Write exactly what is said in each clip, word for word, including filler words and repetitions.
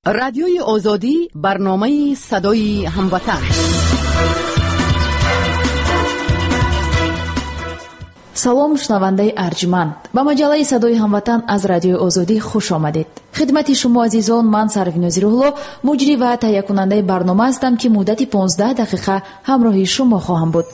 Радиои Озодӣ, барномаи садои ҳамватан. Салом, шунавандаи арҷманд. Ба маҷаллаи садои ҳамватан аз Радиои Озодӣ хуш омадед. Хидмати шумо азизон, ман Сарвиноз Рӯҳло, муҷрӣ ва таҳиякунандаи барнома ҳастам, ки муддати понздаҳ дақиқа ҳамроҳи шумо хоҳам буд.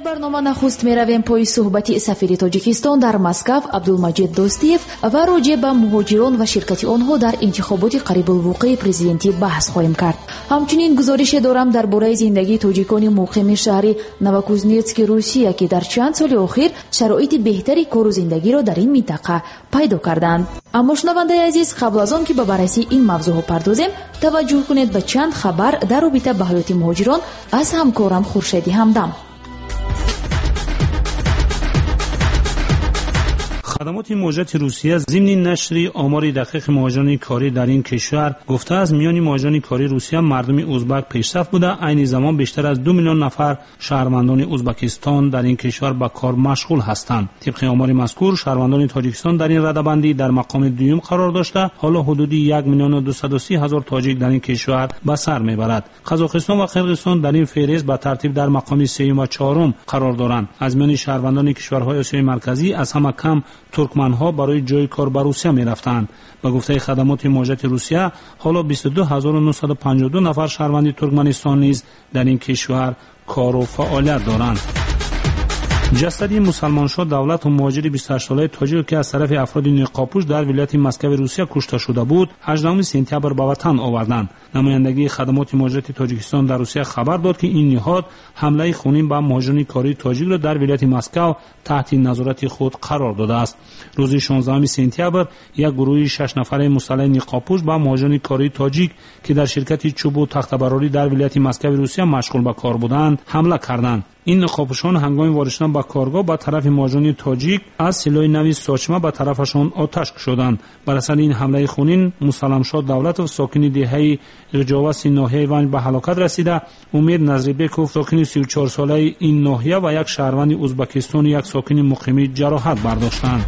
Барнома нахуст меравем пои суҳбати сафири Тоҷикистон дар Москав Абдулмаҷид Достиев ва роҷеъ ба муҳоҷирон ва ширкати онҳо дар интихоботи қарибулвуқӯи президентӣ баҳс хоҳем кард. Ҳамчунин гузорише дорам дар бораи зиндагии тоҷикони муқими шаҳри Новокузнецки Русия, ки дар чанд соли охир шароити беҳтари кору зиндагиро дар ин минтақа пайдо карданд. Аммо шунавандаи азиз, қабл аз он ки ба баррасии ин мавзӯъҳо пардозем, таваҷҷӯҳ кунед ба чанд хабар дар робита ба ҳаёти муҳоҷирон аз ҳамкорам Хуршеди Ҳамдам. Хадамоти муҳоҷирати Русия зимни нашри омори дақиқи муҳоҷирони корӣ дар ин кишвар гуфтааст, миёни муҳоҷирони кории Русия мардуми узбак пешсаф буда, айни замон бештар аз ду миллион нафар шаҳрвандони Узбакистон дар ин кишвар ба кор машғул ҳастанд. Тибқи омори мазкур, шаҳрвандони Тоҷикистон дар ин радабандӣ дар мақоми дуюм қарор дошта, ҳоло ҳудуди як миллиону дусаду си ҳазор тоҷик дар ин кишвар ба сар мебарад. Қазоқистон ва Қирғизистон дар ин феҳрист ба тартиб дар мақоми сеюм ва чорум қарор доранд. Аз миёни шаҳрвандони кишварҳои Осиёи Марказӣ аз ҳама кам туркманҳо барои ҷои кор ба Русия мерафтанд. Ба гуфтаи хадамоти муҳоҷирати Русия, ҳоло бисту ду ҳазору нӯҳсаду панҷоҳу ду нафар шаҳрванди Туркманистон низ дар ин кишвар кору фаъолият доранд. Ҷасади мусалмоншоҳ Давлату муҳоҷири бисту ҳаштсолаи тоҷик, ки аз тарафи афроди ниқобпӯш дар вилояти Москави Русия кушта шуда буд, ҳаждаҳуми сентябр ба ватан оварданд. Намояндагии хадамоти муҳоҷирати Тоҷикистон дар Русия хабар дод, ки ин ниҳод ҳамлаи хунин ба муҳоҷирони кории тоҷикро дар вилояти Москав таҳти назорати худ қарор додааст. Рӯзи шонздаҳуми сентябр як гурӯҳи шаш нафараи мусаллаҳи ниқобпӯш ба муҳоҷирони кории тоҷик, ки дар ширкати чӯбу тахтабарорӣ дар вилояти Москави Русия машғул ба кор буданд, ҳамла карданд. Ин ниқобпӯшон ҳангоми ворид шудан ба коргоҳ ба тарафи муҳоҷирони тоҷик аз силоҳи нави сочма ба тарафашон оташ кушоданд. Бар асари ин ҳамлаи хунин Мусалламшоҳ Давлатов, сокини деҳаи Ғиҷоваси ноҳияи Ванҷ, ба ҳалокат расида, Умед Назрибеков, сокини сию чорсолаи ин ноҳия, ва як шаҳрванди Узбакистону як сокини муқимӣ ҷароҳат бардоштанд.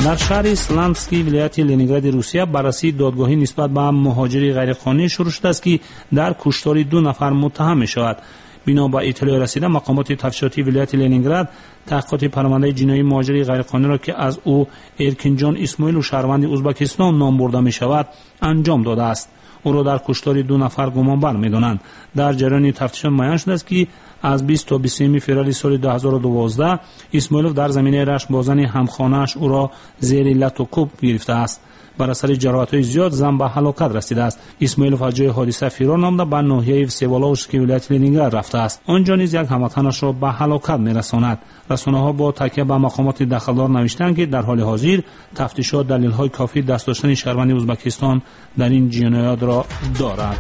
Дар шаҳри Слански вилояти Ленингради Русия баррасии додгоҳӣ нисбат ба муҳоҷири ғайриқонунӣ шурӯъ шудааст, ки дар куштори ду нафар муттаҳам мешавад. Бино ба иттилои расида, мақомоти тафтишотии вилояти Ленинград таҳқиқоти парвандаи ҷиноии муҳоҷири ғайриқонуниро, ки аз ӯ Эркинҷон Исмоилов, шаҳрванди Узбакистон, ном бурда мешавад, анҷом додааст. Ӯро дар куштори ду нафар гумонбар медонанд. Дар ҷараёни тафтишот муайян шудааст, ки аз бист то бисту сеюми феврали соли ду ҳазору дувоздаҳ Исмоилов дар заминаи рашк бо зани ҳамхонааш ӯро зери лату кӯб гирифтааст. Бар асари ҷароҳатҳои зиёд зан ба ҳалокат расидааст. Исмоилов аз ҷои ҳодиса фирор намуда ба ноҳияи Всеволожски вилояти Ленинград рафтааст. Он ҷо низ як ҳамватанашро ба ҳалокат мерасонад. Расонаҳо бо такя ба мақомоти дахлдор навиштанд, ки дар ҳоли ҳозир тафтишот далелҳои кофӣ даст доштани шаҳрванди Узбакистон дар ин ҷиноятро дорад.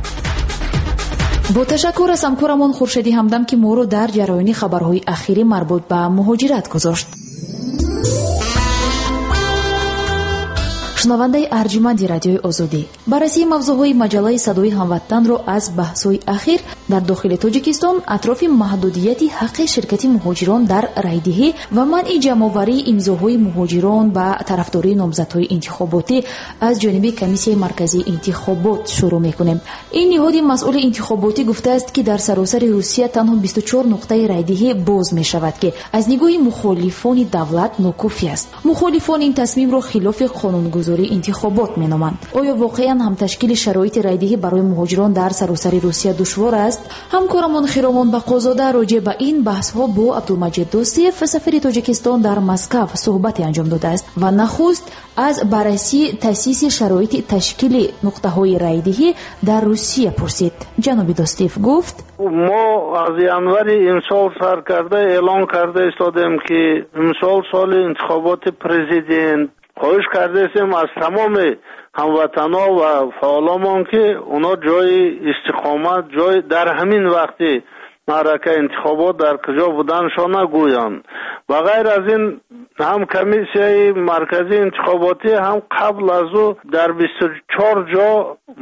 Бо ташаккур аз ҳамкорамон Хуршеди Ҳамдам, ки моро дар ҷараёни хабарҳои ахирӣ марбут ба муҳоҷират гузошт. Шунавандаи арҷманди Радиои Озодӣ, баррасии мавзӯъҳои маҷаллаи садои ҳамватанро аз баҳсҳои ахир дар дохили Тоҷикистон атрофи маҳдудияти ҳаққи ширкати муҳоҷирон дар райдиҳӣ ва манъи ҷамъоварии имзоҳои муҳоҷирон ба тарафдории номзадҳои интихоботӣ аз ҷониби Комиссияи марказии интихобот шурӯъ мекунем. Ин ниҳоди масъули интихоботӣ гуфтааст, ки дар саросари Русия танҳо бисту чор нуқтаи райдиҳӣ боз мешавад, ки аз нигоҳи мухолифони давлат нокофӣ аст. Мухолифон ин тасмимро хилофи қонунгузории интихобот меноманд. Оё воқеан ҳам ташкили шароити райдиҳӣ барои муҳоҷирон дар саросари Русия душвор аст? Ҳамкорамон Хиромон Бақозода роҷеъ ба ин баҳсҳо бо Абдулмаҷид Достиев, сафири Тоҷикистон дар Москав, суҳбате анҷом додааст ва нахуст аз баррасии таъсиси шароити ташкили нуқтаҳои райдиҳӣ дар Русия пурсид. Ҷаноби Достиев гуфт: мо аз январи имсол сар карда эълон карда истодем, ки имсол соли интихоботи президент. Хоҳиш кардаистем аз тамоми ҳамватанҳо ва фаъоломон, ки онҳо ҷои истиқомат, ҷой дар ҳамин вақти маъракаи интихобот дар куҷо буданашон нагӯянд. Ба ғайр аз ин ҳам комиссияи марказии интихоботӣ ҳам қабл аз ӯ дар бисту чор ҷо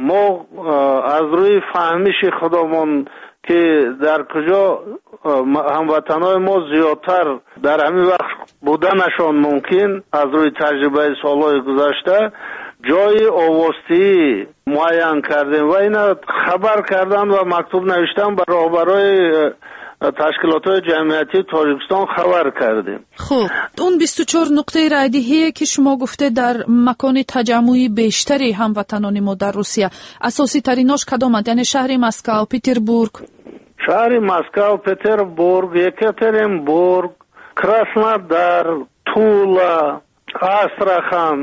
мо аз рӯи фаҳмиши худамон ки дар куҷо ҳамватанҳои мо зиёдтар дар ҳамин вақт буданашон мумкин аз рӯи таҷрибаи солҳои гузашта ҷои овозтиҳӣ муайян кардем ва ина хабар кардан ва мактуб навиштан ба роҳбарои ташкилотҳои ҷамъиятии Тоҷикистон хабар кардем. Хуб, он бисту чор нуқтаи райдиҳие ки шумо гуфте дар макони таҷаммуи бештари ҳамватанони мо дар Русия, асоситаринош кадоманд? Яъне шаҳри Москав, Петербург? Шаҳри Москав, Петербург, Екатеринбург, Краснодар, Тула, Астрахан,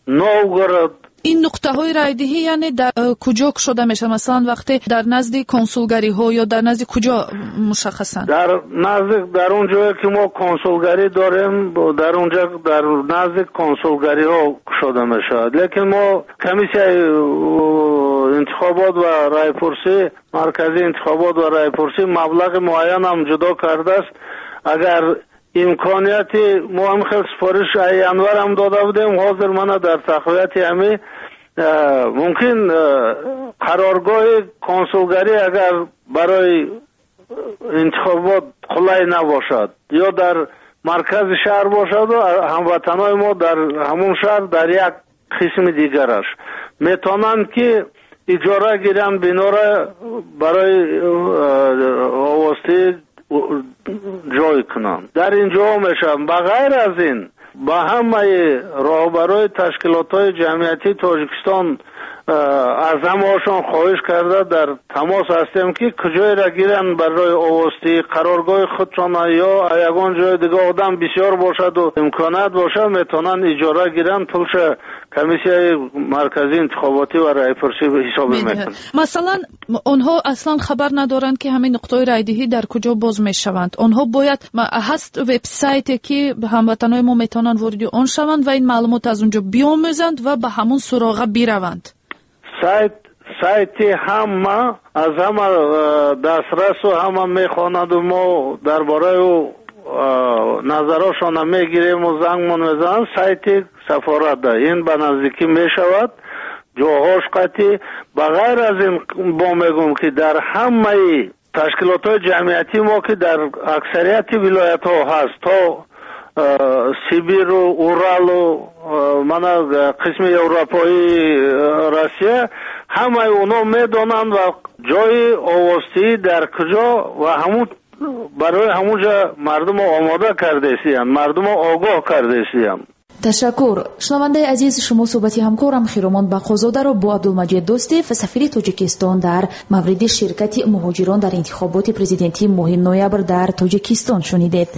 Новгород. Ин нуқтаҳои райдиҳӣ яъне дар куҷо кушода мешавад? Масалан, вақте дар назди консулгариҳо ё дар назди куҷо мушаххасан? Дар назди, дар он ҷое ки мо консулгарӣ дорем, дар он ҷо дар назди консулгариҳо кушода мешавад. Лекин мо комиссияи интихобот ва райпурсӣ, маркази интихобот ва райпурсӣ маблағи муайян ҳам ҷудо кардааст. Агар имконияти мо ҳам хел супориш январ ҳам дода будем, ҳозир мана дар тақвияти ҳами мумкин қароргоҳи консулгарӣ агар барои интихобот қулай набошад ё дар маркази шаҳр бошаду ҳамватанҳои мо дар ҳамон шаҳр дар як қисми дигараш метавонанд ки иҷора гиранд бинора барои овозтиҳӣ ҷой кунанд. Дар ин ҷо мешаванд. Ба ғайр аз ин ба ҳамаи роҳбарои ташкилотҳои ҷамъиятии Тоҷикистон аз ҳамаашон хоҳиш карда дар тамос ҳастем ки куҷоеро гиранд барои овозтиҳӣ, қароргоҳи худшона ё ягон ҷои дига одам бисёр бошаду имконият бошад метавонанд иҷора гиранд, пулша комиссияи марказии интихоботӣ ва райпурсӣ ҳисоб мекунад. Масалан, онҳо аслан хабар надоранд ки ҳамин нуқтаҳои райдиҳӣ дар куҷо боз мешаванд. Онҳо бояд ҳаст вебсайте ки ҳамватанҳои мо метавонанд вориди он шаванд ва ин маълумот аз он ҷо биомӯзанд ва ба ҳамун суроға бираванд. Сайт, сайти ҳама аз ҳама дастрасу ҳама мехонаду мо дар бораи ӯ назарошона мегирему зангмон мезананд. Сайти сафората ин ба наздикӣ мешавад, ҷоҳош қатъӣ. Ба ғайр аз ин бо мегӯм ки дар ҳамаи ташкилотҳои ҷамъиятии мо ки дар аксарияти вилоятҳо ҳаст, то Сибиру, Уралу, мана қисми Европои Россия, ҳамаи онҳо медонанд ва ҷои овозтиҳӣ дар куҷо ва ҳамун барои ҳамун ҷо мардумо омода кардаистиянд, мардумо огоҳ кардаистиянд. Ташаккур. Шунавандаи азиз, шумо суҳбати ҳамкорам Хиромон Бақозодаро бо Абдулмаҷид Достев, сафири Тоҷикистон дар мавриди ширкати муҳоҷирон дар интихоботи президентии моҳи ноябр дар Тоҷикистон шунидед.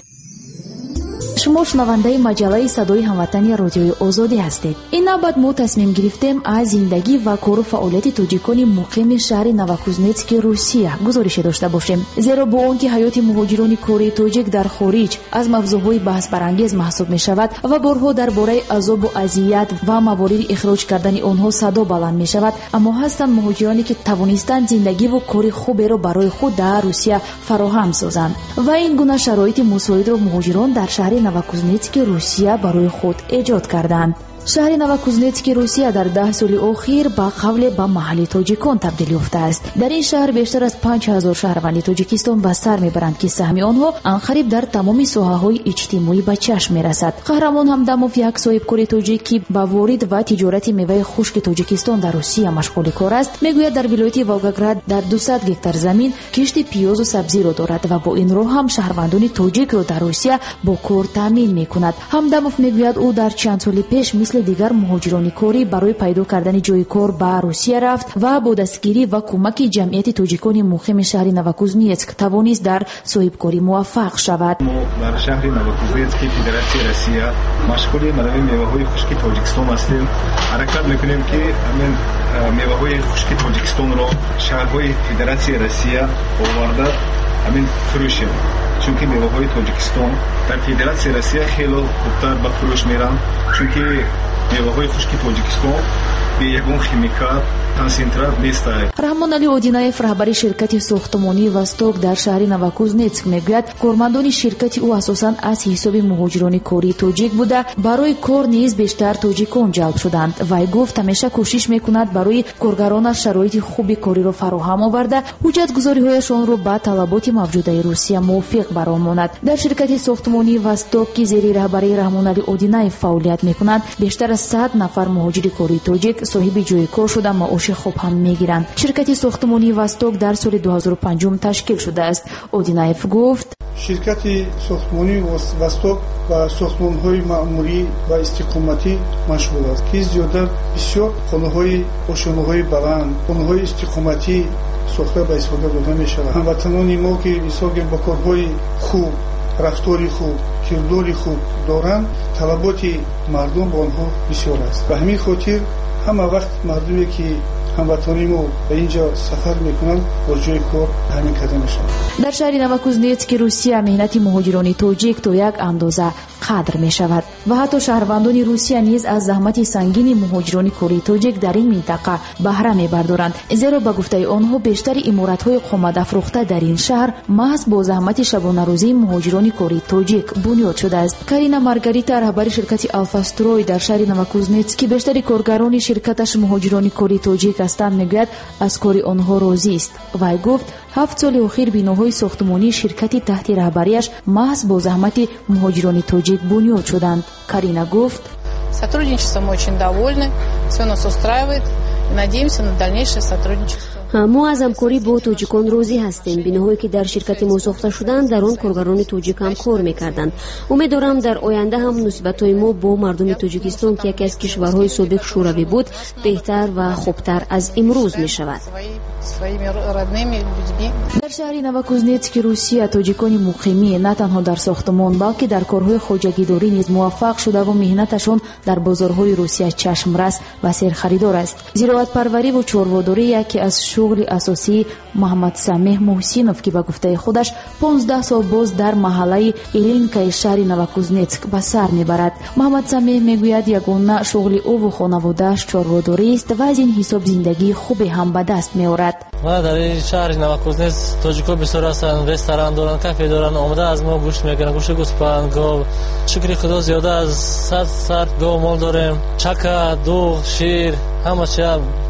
Шумо шунавандаи маҷаллаи садои ҳамватани Радиои Озодӣ ҳастед. Ин навбат мо тасмим гирифтем аз зиндагӣ ва кору фаъолияти тоҷикони муқими шаҳри Новокузнецки Русия гузорише дошта бошем. Зеро бо он ки ҳаёти муҳоҷирони кории тоҷик дар хориҷ аз мавзӯъҳои баҳсбарангез маҳсуб мешавад ва борҳо дар бораи азобу азият ва мавориди ихроҷ кардани онҳо садо баланд мешавад, аммо ҳастанд муҳоҷироне ки тавонистанд зиндагиву кори хуберо барои худ дар Русия фароҳам созанд. Ва ин гуна шароити мусоидро муҳоҷирон дар шаҳри Новокузнецки Русия барои худ эҷод карданд. Шаҳри Новокузнецки Русия дар даҳ соли охир ба қавле ба маҳалли тоҷикон табдил ёфтааст. Дар ин шаҳр бештар аз панҷ ҳазор шаҳрванди Тоҷикистон ба сар мебаранд ки саҳми онҳо анқариб дар тамоми соҳаҳои иҷтимоӣ ба чашм мерасад. Қаҳрамон Ҳамдамов, як соҳибкори тоҷик ки ба ворид ва тиҷорати меваи хушки Тоҷикистон дар Русия машғули кор аст, мегӯяд дар вилояти Волгоград дар дусад гектар замин кишти пиёзу сабзиро дорад ва бо ин роҳ ҳам шаҳрвандони тоҷикро дар Русия бо кор таъмин мекунад. Ҳамдамов мегӯяд ӯ дар чанд соли пеш мисли дигар муҳоҷирони корӣ барои пайдо кардани ҷои кор ба Русия рафт ва бо дастгирӣ ва кӯмаки ҷамъияти тоҷикони муқими шаҳри Новокузнецк тавонист дар соҳибкорӣ муваффақ шавад. Мо дар шаҳри Новокузнецки Федератсияи Россия машғули манави меваҳои хушки Тоҷикистон ҳастем. Ҳаракат мекунем ки ҳамин меваҳои хушки Тоҷикистонро шаҳрҳои Федератсияи Россия оварда ҳамин фурӯшем, чунки меваҳои Тоҷикистон дар Федератсияи Россия хело хубтар ба фурӯш меранд, чунки меваҳои хушки Тоҷикистон бе ягон химикат, консентрат нестай. Раҳмоналӣ Одинаев, раҳбари ширкати сохтмонии Восток дар шаҳри Новокузнецк, мегӯяд, кормандони ширкати ӯ асосан аз ҳисоби муҳоҷирони кории тоҷик буда, барои кор низ бештар тоҷикон ҷалб шуданд. Вай гуфт, ҳамеша кӯшиш мекунад барои коргаронаш шароити хуби кориро фароҳам оварда, ҳуҷҷатгузориҳояшонро ба талаботи мавҷудаи Русия мувофиқ баромонад. Дар ширкати сохтмонии Восток, ки зери раҳбарии Раҳмоналӣ Одинаев фаъолият мекунад, бештар аз сад нафар муҳоҷири кории тоҷик соҳиби ҷои кор шуда, маоши хуб ҳам мегиранд. Ширкати сохтмонии Восток дар соли ду ҳазору панҷум ташкил шудааст. Одинаев гуфт: ширкати сохтмонии Восток ба сохтмонҳои маъмурӣ ва истиқоматӣ машғул аст, ки зиёда бисёр хонаҳои ошёнаҳои баланд, хонаҳои истиқоматӣ сохта ба истифода дода мешавад. Ҳамватанони мо, ки мисол бо корҳои хуб, рафтори хуб, кирдори хуб доранд, талаботи мардум ба онҳо бисёр аст. Ба ҳамин хотир ҳама вақт мардуме, ки ҳамватанони мо ба инҷо сафар мекунанд, бо ҷои кор таъмин карда мешавад. Дар шаҳри Новокузнецки Русия меҳнати муҳоҷирони тоҷик то як андоза қадр мешавад ва ҳатто шаҳрвандони Русия низ аз заҳмати сангини муҳоҷирони кории тоҷик дар ин минтақа баҳра мебардоранд, зеро ба гуфтаи онҳо бештари иморатҳои қоматафрӯхта дар ин шаҳр маҳз бо заҳмати шабонарӯзии муҳоҷирони кории тоҷик бунёд шудааст. Карина Маргарита, раҳбари ширкати Алфастрой дар шаҳри Новокузнецк, ки бештари коргарони ширкаташ муҳоҷирони кории тоҷик ҳастанд, мегӯяд, аз кори онҳо розист. Вай гуфт, ҳафт соли охир биноҳои сохтмонии ширкати таҳти раҳбарияш маҳз бо заҳмати муҳоҷирони тоҷик бунёд шуданд. Карина гуфт: Сотрудничеством мы очень довольны, все нас устраивает, надеемся на дальнейшее сотрудничество. Мо аз ҳамкорӣ бо тоҷикон розӣ ҳастем. Биноҳое, ки дар ширкати мо сохта шуданд, дар он коргарони тоҷик ҳам кор мекарданд. Умеддорам, дар оянда ҳам муносибатҳои мо бо мардуми Тоҷикистон, ки яке аз кишварҳои собиқ шӯравӣ буд, беҳтар ва хубтар аз имрӯз мешавад. Дар шаҳри Новокузнецки Русия тоҷикони муқимӣ на танҳо дар сохтмон, балки дар корҳои хоҷагидорӣ низ муваффақ шудаву меҳнаташон дар бозорҳои Русия чашмрас ва серхаридор аст. Зироатпарвариву чорводорӣ яке аз шуғли асосии Муҳаммадсамеҳ Муҳсинов, ки ба гуфтаи худаш понздаҳ сол боз дар маҳаллаи Илинкаи шаҳри Новокузнецк ба сар мебарад. Муҳаммадсамеҳ мегӯяд, ягона шуғли ӯву хонаводааш чорводорист ва аз ин ҳисоб зиндагии хубе ҳам ба даст меорад. Ман дар ин шаҳри Новокузнецк тоҷикҳо бисёр ҳастанд, ресторан доранд, кафе доранд, омада аз мо гӯшт мегиранд, гӯшти гӯспанд, гов. Шукри Худо, зиёда аз сад сар гов мол дорем, чака, дуғ, шир, ҳама чи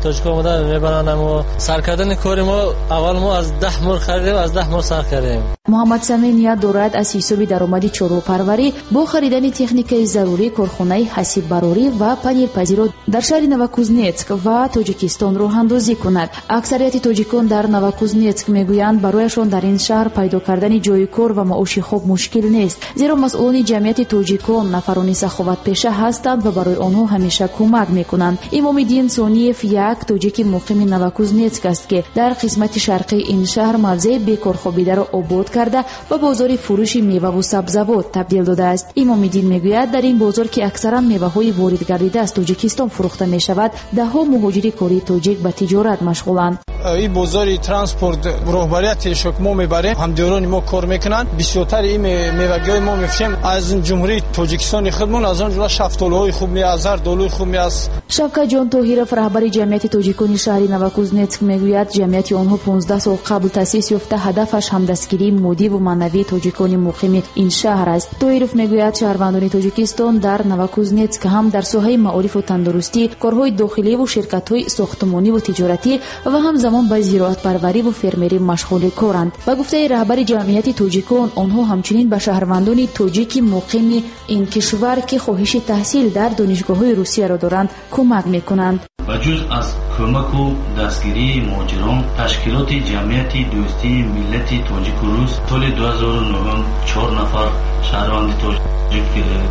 тоҷикҳо омада мебаранд. Мо сар кардани кори мо аввал мо аз даҳ мурғ харидем, аз даҳ мурғ сар кардем. Муҳаммадсамеҳ ният дорад аз ҳисоби даромади чорвопарварӣ бо харидани техникаи зарурӣ корхонаи ҳасиббарорӣ ва панирпазиро дар шаҳри Новокузнецк ва Тоҷикистон роҳандозӣ кунад. Аксарияти тоҷикон дар Новокузнецк мегӯянд, барояшон дар ин шаҳр пайдо кардани ҷои кор ва маоши хуб мушкил нест, зеро масъулони ҷамъияти тоҷикон нафарони саховатпеша ҳастанд ва барои онҳо ҳамеша кӯмак мекунанд. Имомиддин Сониев як тоҷики муқими Новокузнецк аст, ки дар қисмати шарқии ин шаҳр мавзеи бекорхобидаро обод карда ба бозори фурӯши меваву сабзавот табдил додааст. Имомиддин мегӯяд, дар ин бозор, ки аксаран меваҳои воридгардида аз Тоҷикистон фурӯхта мешавад, даҳҳо муҳоҷири кории тоҷик ба тиҷорат машғуланд. Ин бозори транспорт роҳбарияти шок мо мебарем, ҳамдиёрони мо кор мекунанд. Бисёртари ин мевагиҳои мо мефурӯшем аз ҷумҳурии Тоҷикистони худмон, аз он ҷумла шафтолуҳои хуб меаз, зардолуи хуб меаз. Шавкатҷон Тоҳиров, раҳбари ҷамъияти тоҷикони шаҳри Новокузнецк, мегӯяд, ҷамъияти онҳо понздаҳ сол қабл таъсис ёфта, ҳадафаш ҳамдастгирии моддиву маънавии тоҷикони муқими ин шаҳр аст. Тоҳиров мегӯяд, шаҳрвандони Тоҷикистон дар Новокузнецк ҳам дар соҳаи маорифу тандурустӣ, корҳои дохиливу ширкатҳои сохтмониву тиҷоратӣ ва ҳамзамон ба зироатпарвариву фермерӣ машғули коранд. Ба гуфтаи раҳбари ҷамъияти тоҷикон, онҳо ҳамчунин ба шаҳрвандони тоҷики муқими ин кишвар, ки хоҳиши таҳсил дар донишгоҳҳои Русияро доранд, кӯмак мекунанд. Ба ҷуз аз кӯмаку дастгирии муҳоҷирон, ташкилоти ҷамъияти дӯстии миллати тоҷику рус соли ду ҳазору нӯҳум чор нафар шаҳрванди тоҷик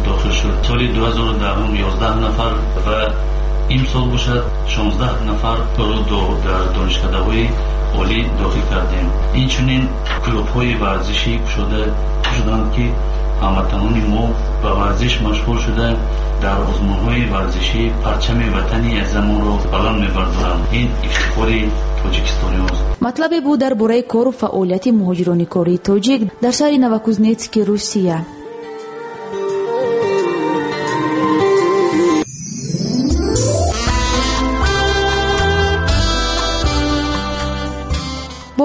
дохил шуд, соли ду ҳазору даҳум ёздаҳ нафар ва имсол бошад шонздаҳ нафарро дар донишкадаҳои олӣ дохил кардем. Инчунин клубҳои варзишӣ кушода шуданд, ки ҳамватанони мо ба варзиш машғул шуда дар озмунҳои варзишӣ парчами ватани азамонро баланд мебардоранд. Ин ифтихори тоҷикистониёст. Матлабе буд дар бораи кору фаъолияти муҳоҷирони кории тоҷик дар шаҳри Новокузнецки Русия.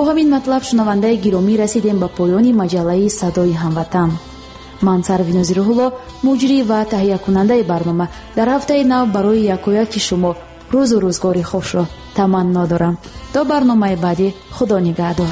Бо ҳамин матлаб, шунавандаи гиромӣ, расидем ба поёни маҷаллаи «Садои ҳамватан». Ман, Сарвинози Рӯҳулло, муҷрӣ ва таҳиякунандаи барнома, дар ҳафтаи нав барои якояки шумо рӯзу рӯзгори хушро таманно дорам. То барномаи баъдӣ, Худо нигаҳдор.